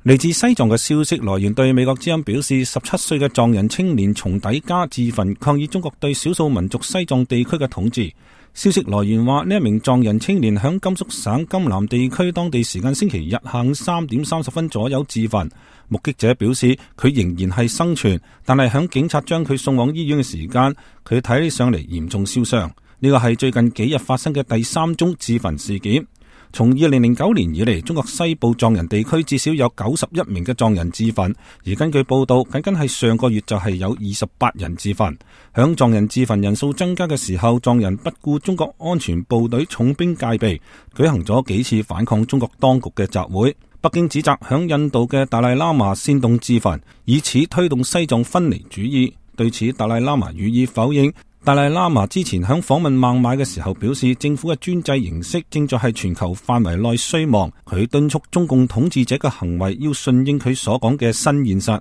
嚟自西藏嘅消息來源對美國之音表示，17歲嘅藏人青年松底加自焚抗議中國對少數民族西藏地區嘅統治。消息來源話，呢一名藏人青年響甘肅省甘南地區當地時間星期日下午3點30分左右自焚。目擊者表示，佢仍然係生存，但係響警察將佢送往醫院嘅時間，佢睇起上嚟嚴重燒傷。呢個係最近幾日發生嘅第3宗自焚事件。從2009年以嚟，中國西部藏人地區至少有91名嘅藏人自焚，而根據報道，僅係上個月就係有28人自焚。響藏人自焚人數增加嘅時候，藏人不顧中國安全部隊重兵戒備，舉行咗幾次反抗中國當局嘅集會。北京指責響印度嘅達賴喇嘛煽動自焚，以此推動西藏分離主義。對此，達賴喇嘛予以否認。達賴喇嘛之前響訪問孟買嘅時候表示，政府嘅專制形式正在係全球範圍內衰亡。佢敦促中共統治者嘅行為要順應佢所講嘅新現實。